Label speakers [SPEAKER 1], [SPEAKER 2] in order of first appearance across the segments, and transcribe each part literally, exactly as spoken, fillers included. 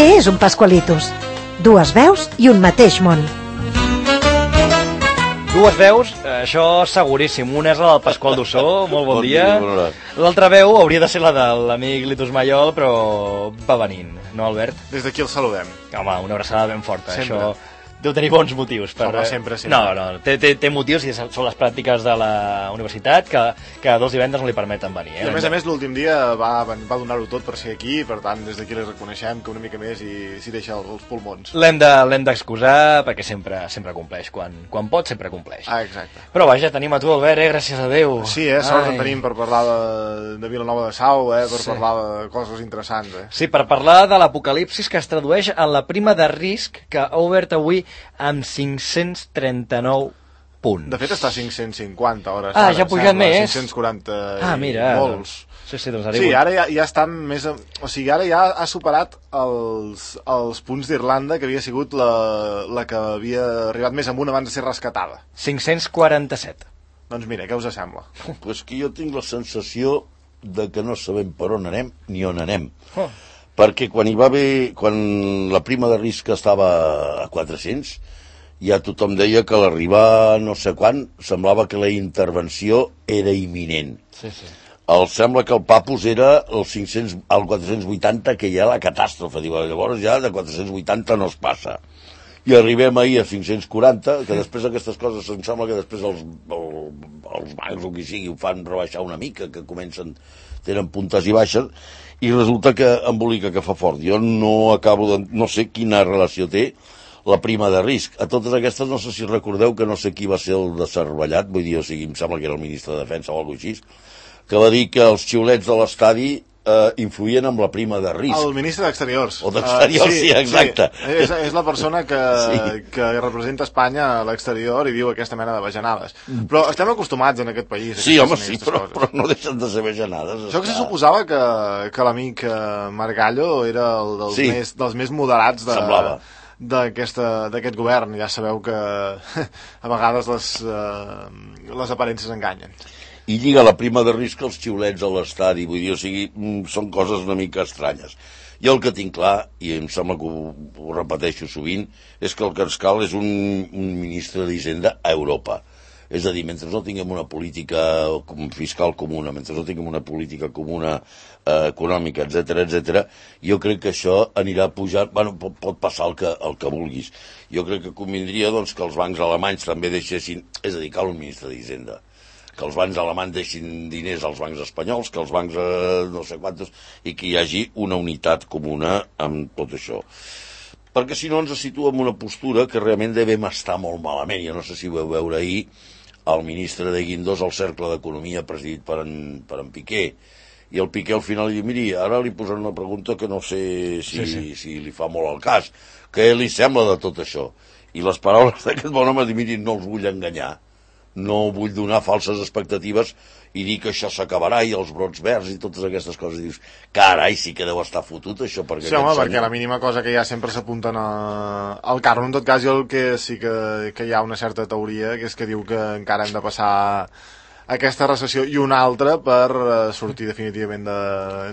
[SPEAKER 1] Què és un Pascualitos? Dues veus i un mateix món.
[SPEAKER 2] Dues veus, això seguríssim. Una és la del Pasqual Dussó, molt bon, bon dia. dia L'altra veu hauria de ser la de l'amic Litus Mayol, però va venint, no, Albert?
[SPEAKER 3] Des d'aquí el saludem.
[SPEAKER 2] Home, una abraçada ben forta.
[SPEAKER 3] Sempre.
[SPEAKER 2] Això deu tenir bons motius. Per...
[SPEAKER 3] Home, sempre, sempre.
[SPEAKER 2] No, no, té, té, té motius i són les pràctiques de la universitat que, que dos divendres no li permeten venir. Eh?
[SPEAKER 3] I a més a més, l'últim dia va, va donar-ho tot per ser aquí, per tant, des d'aquí li reconeixem que una mica més i s'hi deixa els pulmons.
[SPEAKER 2] L'hem de, l'hem d'excusar perquè sempre sempre compleix. Quan, quan pot, sempre compleix.
[SPEAKER 3] Ah, exacte.
[SPEAKER 2] Però vaja, tenim a tu, Albert, eh? Gràcies a Déu.
[SPEAKER 3] Sí, eh? Sort en tenim per parlar de, de Vilanova de Sau, eh? Per sí. parlar de coses interessants, eh?
[SPEAKER 2] Sí, per parlar de l'apocalipsis que es tradueix en la prima de risc que ha obert avui amb cinc-cents trenta-nou punts.
[SPEAKER 3] De fet està a cinc-cents cinquanta hores.
[SPEAKER 2] Ah, ja ha pujat més.
[SPEAKER 3] cinc-cents quaranta
[SPEAKER 2] ah, mira,
[SPEAKER 3] molts.
[SPEAKER 2] Sí, sí, doncs
[SPEAKER 3] sí, ara ja, ja està més... O sigui, ara ja ha superat els, els punts d'Irlanda, que havia sigut la, la que havia arribat més amunt abans de ser rescatada.
[SPEAKER 2] cinc-cents quaranta-set.
[SPEAKER 3] Doncs mira, què us sembla?
[SPEAKER 4] Pues que jo tinc la sensació de que no sabem per on anem ni on anem.
[SPEAKER 2] Oh.
[SPEAKER 4] Perquè quan hi va haver... Quan la prima de risc estava a quatre-cents... ja tothom deia que a l'arribar no sé quan semblava que la intervenció era imminent.
[SPEAKER 2] Sí, sí.
[SPEAKER 4] El sembla que el Papus era el, cinc-cents, el quatre-cents vuitanta, que ja la catàstrofe. Diu, llavors ja de quatre-cents vuitanta no es passa. I arribem ahir a cinc-cents quaranta, que després aquestes coses em sembla que després els, el, els bancs o qui sigui ho fan rebaixar una mica, que comencen, tenen puntes i baixes, i resulta que embolica que fa fort. Jo no acabo de... no sé quina relació té la prima de risc. A totes aquestes, no sé si recordeu que no sé qui va ser el de Cervellat, vull dir, o sigui, em sembla que era el ministre de Defensa o alguna cosa així, que va dir que els xiulets de l'estadi eh, influïen amb la prima de risc.
[SPEAKER 3] El ministre d'Exteriors.
[SPEAKER 4] O d'Exteriors, uh, sí, sí, exacte.
[SPEAKER 3] Sí. És, és la persona que, sí. que representa Espanya a l'exterior i diu aquesta mena de bajanades. Però estem acostumats en aquest país.
[SPEAKER 4] Sí, home, sí, però, però no deixen de ser bajanades.
[SPEAKER 3] Això que se suposava que, que l'amic Margallo era el dels, sí. més, dels més moderats de...
[SPEAKER 4] Semblava.
[SPEAKER 3] d'aquest govern. Ja sabeu que a vegades les, uh, les aparences enganyen.
[SPEAKER 4] I lliga la prima de risc als xiulets a l'estadi, vull dir, o sigui, són coses una mica estranyes. Jo el que tinc clar, i em sembla que ho, ho repeteixo sovint, és que el que ens cal és un, un ministre d'Hisenda a Europa. És a dir, mentre no tinguem una política fiscal comuna, mentre no tinguem una política comuna eh, econòmica, etcètera, etcètera, jo crec que això anirà pujant, bueno, pot, pot passar el que, el que vulguis. Jo crec que convindria doncs, que els bancs alemanys també deixessin, és a dir, cal un ministre d'Hisenda, que els bancs alemanys deixin diners als bancs espanyols, que els bancs eh, no sé quantos, i que hi hagi una unitat comuna amb tot això. Perquè si no ens situa en una postura que realment devem estar molt malament. Jo no sé si ho vau veure ahir el ministre de Guindos al Cercle d'Economia presidit per en, per en Piqué, i el Piqué al final diu, miri, ara li posaran una pregunta que no sé si, sí, sí. si li fa molt al cas, què li sembla de tot això? I les paraules d'aquest bon home diu, miri, no els vull enganyar, no vull donar falses expectatives i dir que això s'acabarà i els brots verds i totes aquestes coses. I dius, carai, sí que deu estar fotut això. Perquè
[SPEAKER 3] sí, home, senyor... perquè la mínima cosa que ja sempre s'apunten a... al carro. En tot cas, jo el que sí que, que hi ha una certa teoria, que és que diu que encara hem de passar aquesta recessió i una altra per sortir definitivament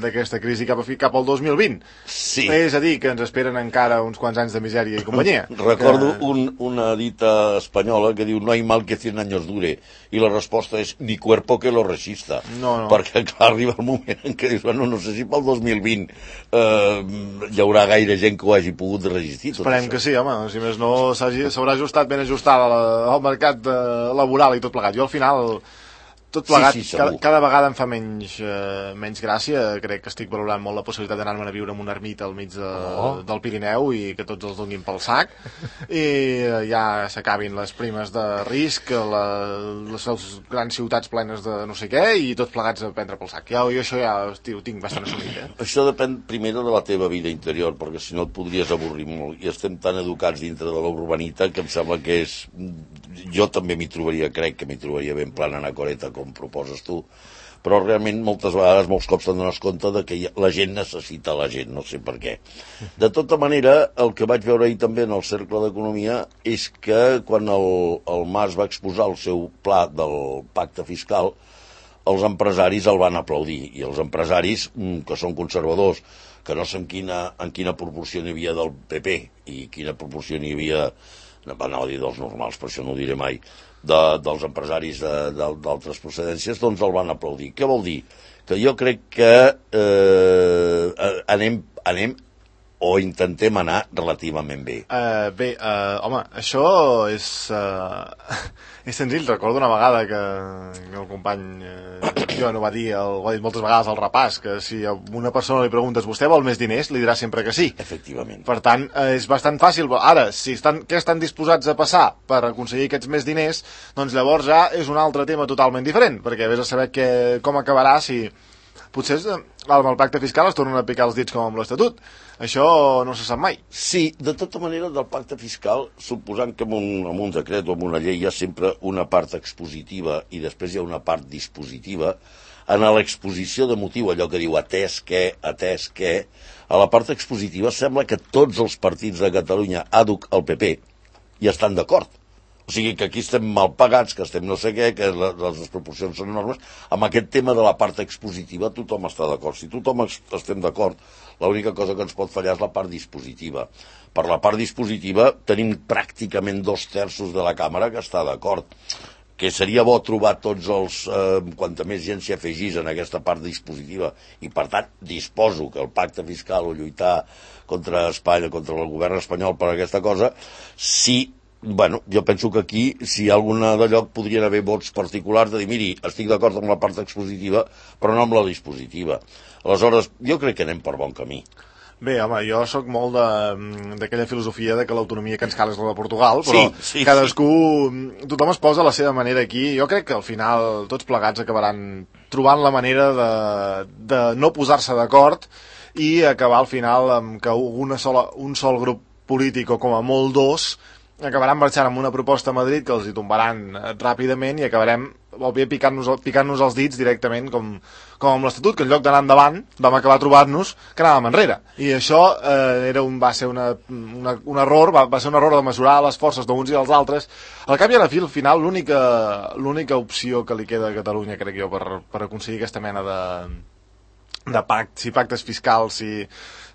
[SPEAKER 3] d'aquesta crisi cap, a, cap al dos mil vint.
[SPEAKER 4] Sí.
[SPEAKER 3] És a dir, que ens esperen encara uns quants anys de misèria i companyia.
[SPEAKER 4] Recordo
[SPEAKER 3] que...
[SPEAKER 4] un, una dita espanyola que diu no hay mal que cien años dure, i la resposta és ni cuerpo que lo resista.
[SPEAKER 3] No, no.
[SPEAKER 4] Perquè clar, arriba el moment en què dius, bueno, no sé si pel dos mil vint eh, hi haurà gaire gent que ho hagi pogut resistir.
[SPEAKER 3] Esperem que sí, home, si més no s'haurà ajustat ben ajustada al mercat laboral i tot plegat. Jo al final... Tot plegat,
[SPEAKER 4] sí, sí,
[SPEAKER 3] cada, cada vegada em fa menys, eh, menys gràcia. Crec que estic valorant molt la possibilitat d'anar-me'n a viure en una ermita al mig de, oh. del Pirineu i que tots els donin pel sac i eh, ja s'acabin les primes de risc, la, les, les grans ciutats plenes de no sé què i tots plegats a prendre pel sac. Ja, jo això ja ho tinc bastant assumit. Eh?
[SPEAKER 4] Això depèn primera de la teva vida interior, perquè si no et podries avorrir molt, i estem tan educats dintre de la urbanita que em sembla que és... Jo també m'hi trobaria, crec que m'hi trobaria ben plana anacoreta com proposes tu, però realment moltes vegades, molts cops te'n dones compte de que la gent necessita la gent, no sé per què. De tota manera, el que vaig veure ahir també en el Cercle d'Economia és que quan el, el Mas va exposar el seu pla del pacte fiscal, els empresaris el van aplaudir, i els empresaris, que són conservadors, que no sé en quina, en quina proporció n'hi havia del P P i quina proporció n'hi havia, no anava a dir dels normals, per això no ho diré mai, de, dels empresaris d'altres procedències, doncs el van aplaudir. Què vol dir? Que jo crec que eh, anem, anem o intentem anar relativament bé.
[SPEAKER 3] Uh, bé, uh, home, això és, uh, és senzill. Recordo una vegada que, que el company uh, Joan ho va dir, el, ho ha dit moltes vegades al repàs, que si a una persona li preguntes vostè vol més diners, li dirà sempre que sí.
[SPEAKER 4] Efectivament.
[SPEAKER 3] Per tant, uh, és bastant fàcil. Ara, si estan, què estan disposats a passar per aconseguir aquests més diners, doncs llavors ja és un altre tema totalment diferent, perquè vés a saber que, com acabarà si... Potser amb el pacte fiscal es tornen a picar els dits com amb l'Estatut. Això no se sap mai.
[SPEAKER 4] Sí, de tota manera, del pacte fiscal, suposant que en un, en un decret o en una llei hi ha sempre una part expositiva i després hi ha una part dispositiva, en l'exposició de motiu, allò que diu atès que, atès que, a la part expositiva sembla que tots els partits de Catalunya, àduc el P P, hi estan d'acord. O sigui que aquí estem mal pagats, que estem no sé què, que les desproporcions són enormes. Amb aquest tema de la part expositiva tothom està d'acord. Si tothom estem d'acord, l'única cosa que ens pot fallar és la part dispositiva. Per la part dispositiva tenim pràcticament dos terços de la càmera que està d'acord. Que seria bo trobar tots els... Eh, quanta més gent s'hi afegís en aquesta part dispositiva. I per tant, disposo que el pacte fiscal o lluitar contra Espanya, contra el govern espanyol per aquesta cosa, si... Bueno, jo penso que aquí, si hi ha alguna de lloc, podrien haver vots particulars de dir, miri, estic d'acord amb la part expositiva, però no amb la dispositiva. Aleshores, jo crec que anem per bon camí.
[SPEAKER 3] Bé, home, jo sóc molt d'aquella filosofia de que l'autonomia que ens cal és la de Portugal, però sí, sí, cadascú, sí. Tothom es posa a la seva manera aquí. Jo crec que al final tots plegats acabaran trobant la manera de, de no posar-se d'acord i acabar al final amb que una sola, un sol grup polític o com a molt dos acabaran marxant amb una proposta a Madrid que els hi tombaran ràpidament i acabarem picant-nos picant-nos els dits directament com, com amb l'Estatut, que en lloc d'anar endavant vam acabar trobant-nos que anàvem enrere. I això eh, era un, va ser una, una, un error, va, va ser un error de mesurar les forces d'uns i dels altres. Al cap i a la fi, al final, l'única l'única opció que li queda a Catalunya, crec jo, per, per aconseguir aquesta mena de, de pactes, si pactes fiscals, si...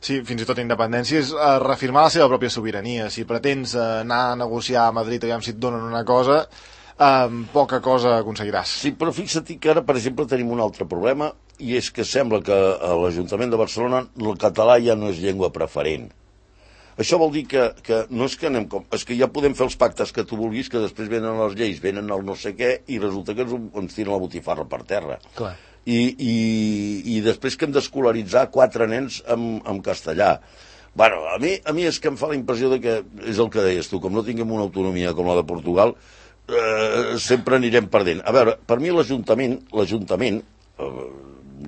[SPEAKER 3] Sí, fins i tot independència, és uh, reafirmar la seva pròpia sobirania. Si pretens uh, anar a negociar a Madrid aviam si et donen una cosa, uh, poca cosa aconseguiràs.
[SPEAKER 4] Sí, però fixa't que ara, per exemple, tenim un altre problema, i és que sembla que a l'Ajuntament de Barcelona el català ja no és llengua preferent. Això vol dir que, que no és que anem com... És que ja podem fer els pactes que tu vulguis, que després venen les lleis, venen el no sé què, i resulta que ens, ens tiren la botifarra per terra.
[SPEAKER 2] Clar.
[SPEAKER 4] I, i, i després que hem d'escolaritzar quatre nens en, en castellà. Bueno, a mi, a mi és que em fa la impressió de que, és el que deies tu, com no tinguem una autonomia com la de Portugal, eh, sempre anirem perdent. A veure, per mi l'Ajuntament, l'Ajuntament, eh,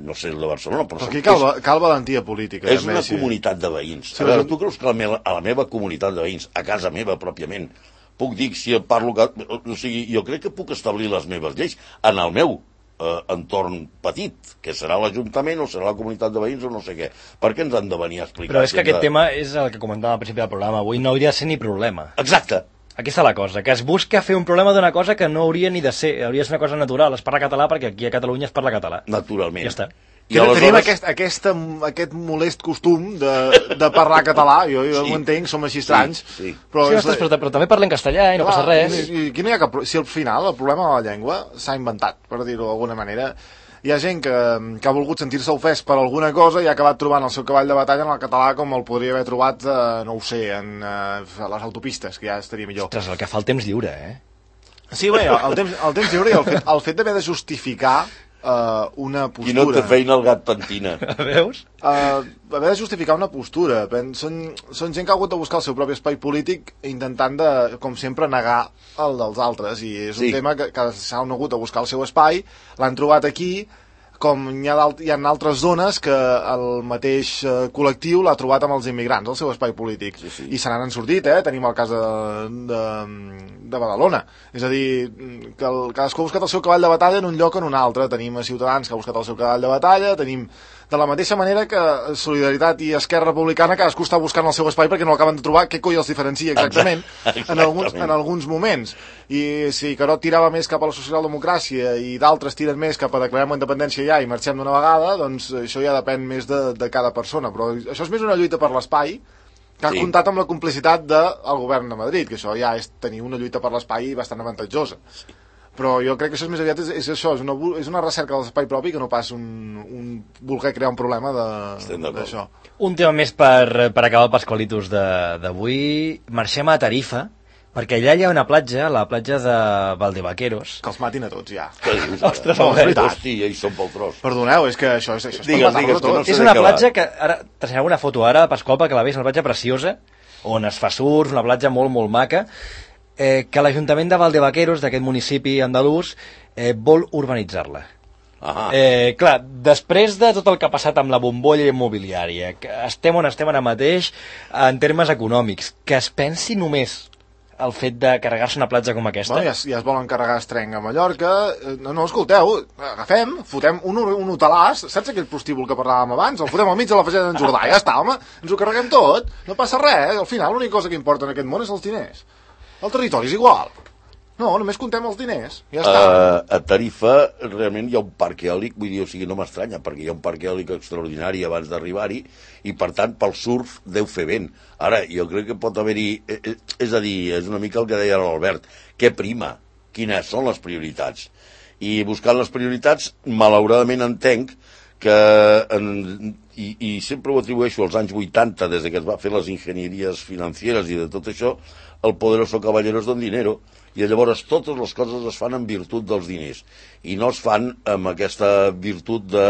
[SPEAKER 4] no sé, el de Barcelona, però...
[SPEAKER 3] Però aquí cal, cal valentia política.
[SPEAKER 4] És una sí. comunitat de veïns. A veure, tu creus que a la, meva, a la meva comunitat de veïns, a casa meva pròpiament, puc dir si parlo... O sigui, jo crec que puc establir les meves lleis en el meu Eh, entorn petit, que serà l'Ajuntament o serà la comunitat de veïns o no sé què. Per què ens han de venir a explicar?
[SPEAKER 2] Però és que aquest
[SPEAKER 4] de...
[SPEAKER 2] tema és el que comentava al principi del programa. Avui no hauria de ser ni problema.
[SPEAKER 4] Exacte.
[SPEAKER 2] Aquí està la cosa, que es busca fer un problema d'una cosa que no hauria ni de ser. Hauria de ser una cosa natural. Es parla català perquè aquí a Catalunya es parla català.
[SPEAKER 4] Naturalment.
[SPEAKER 2] Ja està.
[SPEAKER 3] I aleshores... Tenim aquest, aquesta, aquest molest costum de, de parlar català, jo, jo sí. ho entenc, som així estranys.
[SPEAKER 4] Sí, sí.
[SPEAKER 2] Però, sí, ostres, però, però també parlem castellà i no clar, passa res.
[SPEAKER 3] I, i, no hi ha cap, si al final el problema de la llengua s'ha inventat, per dir-ho d'alguna manera, hi ha gent que, que ha volgut sentir-se ofès per alguna cosa i ha acabat trobant el seu cavall de batalla en el català com el podria haver trobat, eh, no ho sé, en eh, les autopistes, que ja estaria millor.
[SPEAKER 2] Ostres, el que fa el temps lliure, eh?
[SPEAKER 3] Sí, bé, el temps, el temps lliure i el fet, el fet d'haver de justificar Uh, una postura.
[SPEAKER 4] Qui no té feina el gat pentina.
[SPEAKER 2] Veus?
[SPEAKER 3] Uh, haver de justificar una postura. Són, són gent que ha hagut de buscar el seu propi espai polític intentant de, com sempre, negar el dels altres. I és un sí. tema que, que s'han hagut de buscar el seu espai, l'han trobat aquí, com hi ha, hi ha altres zones que el mateix uh, col·lectiu l'ha trobat amb els immigrants, el seu espai polític. Sí, sí. I se n'han sortit, eh? Tenim el cas de, de, de Badalona. És a dir, que el, cadascú ha buscat el seu cavall de batalla en un lloc o en un altre. Tenim a Ciutadans que ha buscat el seu cavall de batalla, tenim De la mateixa manera que Solidaritat i Esquerra Republicana cadascú està buscant el seu espai perquè no acaben de trobar què coi els diferencia exactament, exactament. En, alguns, en alguns moments. I si Carod tirava més cap a la socialdemocràcia i d'altres tiren més cap a declarem la independència ja i marxem d'una vegada, doncs això ja depèn més de, de cada persona. Però això és més una lluita per l'espai que ha sí. comptat amb la complicitat del govern de Madrid, que això ja és tenir una lluita per l'espai bastant avantatjosa. Sí. Però jo crec que això és més aviat és, és això, és una, és una recerca de l'espai propi que no pas un, un voler crear un problema d'això.
[SPEAKER 2] Un tema més per, per acabar el Pasqualitos d'avui. Marxem a Tarifa, perquè allà hi ha una platja, la platja de Valdevaqueros.
[SPEAKER 3] Que els matin a tots, ja.
[SPEAKER 2] Ostres,
[SPEAKER 4] no, és Hosti, ells són pel tros.
[SPEAKER 3] Perdoneu, és que això és, això és
[SPEAKER 4] digues,
[SPEAKER 3] per matar-los a tots.
[SPEAKER 2] No és una platja que, ara, t'ensenyaré una foto ara, Pasqual, perquè la veus, una platja preciosa, on es fa surf, una platja molt, molt maca, Eh, que l'Ajuntament de Valdevaqueros, d'aquest municipi andalús, eh, vol urbanitzar-la. Eh, clar, després de tot el que ha passat amb la bombolla immobiliària, que estem on estem ara mateix en termes econòmics, que es pensi només el fet de carregar-se una platja com aquesta...
[SPEAKER 3] Bueno, ja, ja es volen carregar Estrenc a Mallorca. No, no, escolteu, agafem, fotem un, un hotelàs, saps aquell prostíbul que parlàvem abans? El fotem al mig de la fageda d'en Jordà, ja està, home, ens ho carreguem tot, no passa res, al final l'única cosa que importa en aquest món és els diners. El territori és igual. No, només contem els diners. Ja està.
[SPEAKER 4] Uh, a Tarifa realment hi ha un parc eòlic, vull dir, o sigui, no m'estranya, perquè hi ha un parc eòlic extraordinari abans d'arribar-hi i, per tant, pel surf deu fer vent. Ara, jo crec que pot haver-hi... És a dir, és una mica el que deia l'Albert. Què prima? Quines són les prioritats? I buscant les prioritats, malauradament entenc que... En, i, i sempre ho atribueixo als anys vuitanta, des que es va fer les enginyeries financeres i de tot això, el poderoso caballero es don dinero, i llavors totes les coses es fan en virtut dels diners, i no es fan amb aquesta virtut de,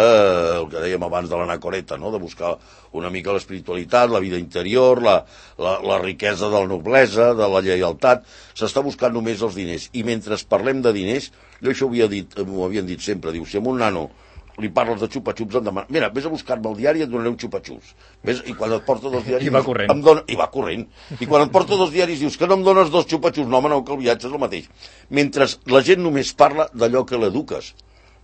[SPEAKER 4] el que dèiem abans de l'anacoreta, no? De buscar una mica l'espiritualitat, la vida interior, la, la, la riquesa de la noblesa, de la lleialtat, s'està buscant només els diners, i mentre parlem de diners, jo això ho havia dit, m'ho havien dit sempre, diu, si amb un nano li parles de xupa-xups, em demana, mira, vés a buscar-me el diari i et donaré un xupa-xups. Ves? I quan et porta dos diaris...
[SPEAKER 2] I va corrent.
[SPEAKER 4] Em dona, I va corrent. I quan et porta dos diaris dius que no em dones dos xupa-xups. No, home, no, que el viatge és el mateix. Mentre la gent només parla d'allò que l'eduques.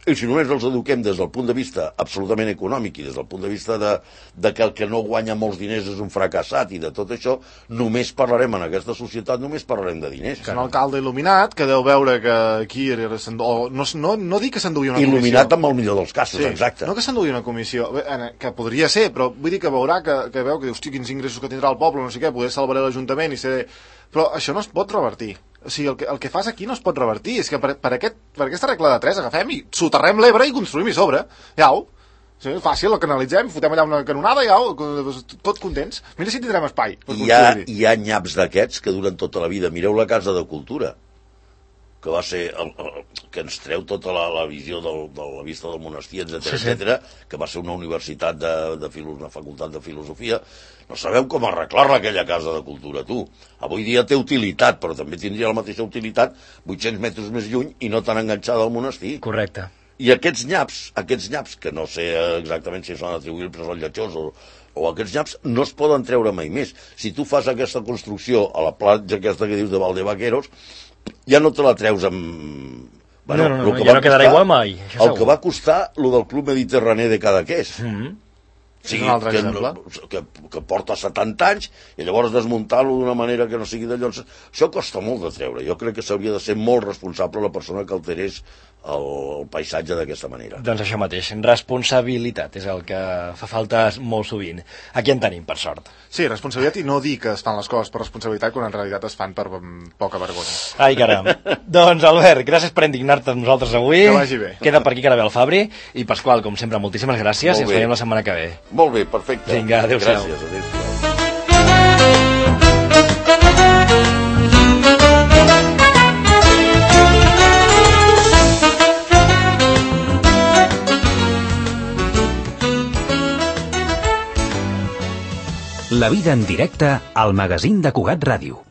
[SPEAKER 4] I si només els eduquem des del punt de vista absolutament econòmic i des del punt de vista de, de que el que no guanya molts diners és un fracassat i de tot això, només parlarem en aquesta societat, només parlarem de diners.
[SPEAKER 3] És un alcalde il·luminat que deu veure que aquí... O no, no, no dic que s'endugui una comissió.
[SPEAKER 4] Il·luminat amb el millor dels casos,
[SPEAKER 3] sí,
[SPEAKER 4] exacte.
[SPEAKER 3] No que s'endugui una comissió, que podria ser, però vull dir que veurà que, que veu que dius, quins ingressos que tindrà el poble, no sé què, poder salvaré l'Ajuntament i ser... Però això no es pot revertir. O sigui, el que, el que fas aquí no es pot revertir. És que per, per, aquest, per aquesta regla de tres agafem i soterrem l'Ebre i construïm i sobre. Iau. Sí, fàcil, el canalitzem, fotem allà una canonada i iau, tot contents. Mira si tindrem espai.
[SPEAKER 4] Hi ha, hi ha nyaps d'aquests que duren tota la vida. Mireu la Casa de Cultura, que va ser el, el, que ens treu tota la, la visió del, de la vista del monestir, etcètera, sí, sí. etcètera, que va ser una universitat de, de filo, una facultat de filosofia. No sabeu com arreglar-la aquella Casa de Cultura, tu. Avui dia té utilitat, però també tindria la mateixa utilitat vuit-cents metres més lluny i no tan enganxada al monestir.
[SPEAKER 2] Correcte.
[SPEAKER 4] I aquests nyaps, aquests nyaps, que no sé exactament si són atribuïbles al lletjós o, o aquests nyaps, no es poden treure mai més. Si tu fas aquesta construcció a la platja aquesta que dius de Valdevaqueros, ja no te la treus amb...
[SPEAKER 2] Bueno, no, no, no, ja no quedarà igual mai.
[SPEAKER 4] El segur. Que va costar lo del Club Mediterrani de Cadaqués.
[SPEAKER 3] Mm-hmm.
[SPEAKER 4] Sí, que, no, que, que porta setanta anys i llavors desmuntar-lo d'una manera que no sigui d'allò. Això costa molt de treure. Jo crec que s'hauria de ser molt responsable la persona que alterés el, el paisatge d'aquesta manera.
[SPEAKER 2] Doncs això mateix, responsabilitat és el que fa falta molt sovint. Aquí en tenim, per sort.
[SPEAKER 3] Sí, responsabilitat i no dir que es fan les coses per responsabilitat quan en realitat es fan per poca vergonya.
[SPEAKER 2] Ai, caram. Doncs, Albert, gràcies per indignar-te amb nosaltres avui.
[SPEAKER 3] Que vagi bé.
[SPEAKER 2] Queda per aquí que ara ve el Fabri. I Pasqual, com sempre, moltíssimes gràcies i ens veiem la setmana que ve.
[SPEAKER 4] Molt bé, perfecte.
[SPEAKER 2] Vinga, adéu-siau.
[SPEAKER 4] Gràcies, adéu-siau.
[SPEAKER 5] La vida en directe al magazín de Cugat Ràdio.